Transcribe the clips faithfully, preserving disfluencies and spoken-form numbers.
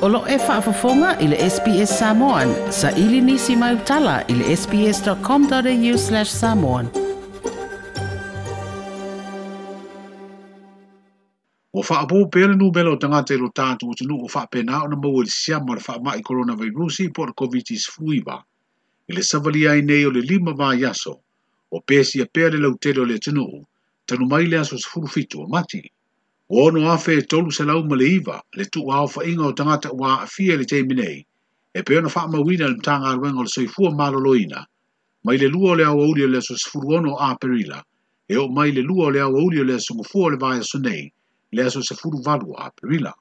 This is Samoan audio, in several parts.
O lo e faafofoga i le S B S Samoan, sa ili nisi mai utala i le sbs.com.au slash samoan. Ua faaopoopo pea le numera o tagata i lo tatou atunuu ua faapena ona maua i le siama o le faamai coronavirus po o le COVID sefuluiva. I le savalia ai nei o le lima vaiaso, o pesia pea le lautele o le atunuu, talu mai le aso sefulu fitu o Mati. Ua ono afe e tolu selau ma le iva, le tuuaofaiga o tagata ua aafia i le taimi nei, e pei ona faamauina le Matagaluega o le Soifua Maloloina, mai le lua o le aoauli o le aso sefulu ono o Aperila, e oo mai le lua o le aoauli o le aso gafua o le vaiaso nei, le aso sefulu valu o Aperila.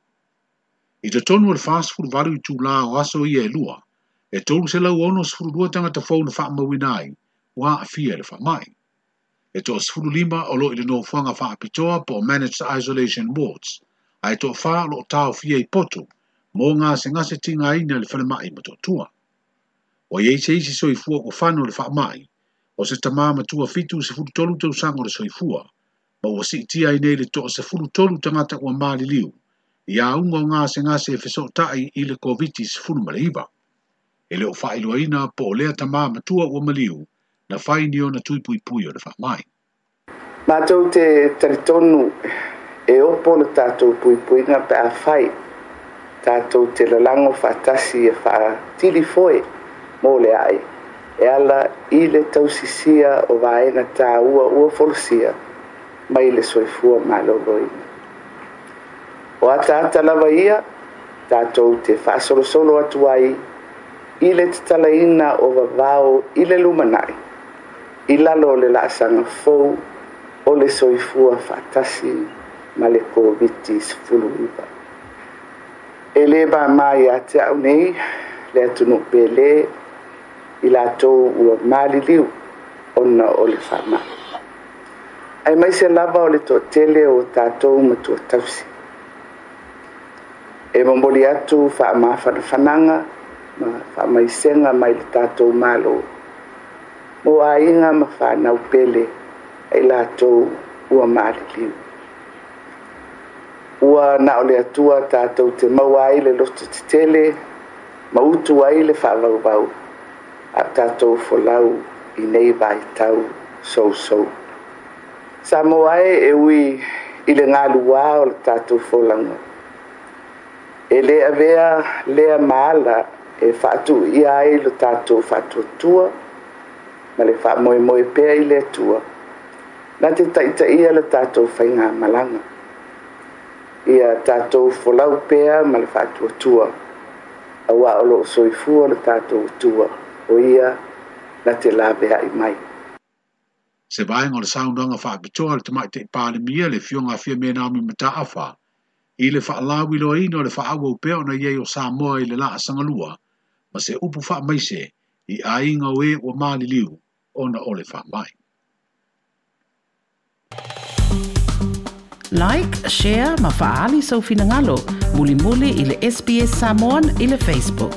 I totonu o le fasefulu valu itulā o aso ia e lua, e tolu selau ono sefulu lua tagata fou na faamauina ai, ua aafia i le faamai. E toa sefulu lima o lo i le nofoaga faapitoa po o Managed Isolation Wards, ae toa whā o lo o taofia i potu, mō ngā gasegase tigaina i le falemai Motootua. Ua iai se isi soifua ua fano le faamai, o se tamā matua fitu sefulu tolu tausaga o le soifua, ma ua siitia ai nei le toa sefulu tolu tagata ua maliliu, i auga o gasegase e fesootai i le COVID sefulu ma le iva. E le o faailoaina po o lea tamā matua ua maliu, na whai ni ona tui pui pui o le whamai. Mātou te taritonu e opo le tātou pui puinga pe a whai. Tātou te lalango whaatasi e whaatili foe mō le ai. E ala i le tausisia o vaenga tā ua ua folosia mai le soifua maloloina. O ataata lava ia, tātou te whaasolosolo atu ai i le tatalaina o vavao i le lumanai. I lalo o le laasaga fou o le soifua faatasi ma le COVID sefulu iva. E le māmā ia te au nei, le atunuu pele, i latou ua maliliu ona o le faamai. Ae mai se lava o le toatele o tatou matua tausi. E momoli atu faamafanafanaga ma faamaisega mai le tatou malo. Mo aiga ma whanau pele ai latou ua maliliu. Ua na o le atua tātou te maua ai le loto tetele, ma utu ai le whaavauvau, a tātou folau i nei vai tau sousou. Samoa e e ui i le ngaluā o le tātou folanga. E le avea lea maala e whaatu ia ai lo tātou whaatuatua, ma le whaamoemoe pea i le atua, na te taitaia le tātou whainga malanga. Ia tātou folau pea ma le whaatuatua, aua o lo soifua le tātou atua, o ia na te lawea i mai. Se vaenga o le saunoaga faapitoa le tamaitai Palemia le Afioga a Fiame Naomi Mataafa, i le faalauiloaina o le faaauau pea ona iai o Samoa i le laasaga lua, ma se upu faamaise i aiga o e ua maliliu ona o le faamai. Like, share ma faali sau finagalo, mulimuli i le S B S Samoan i le Facebook.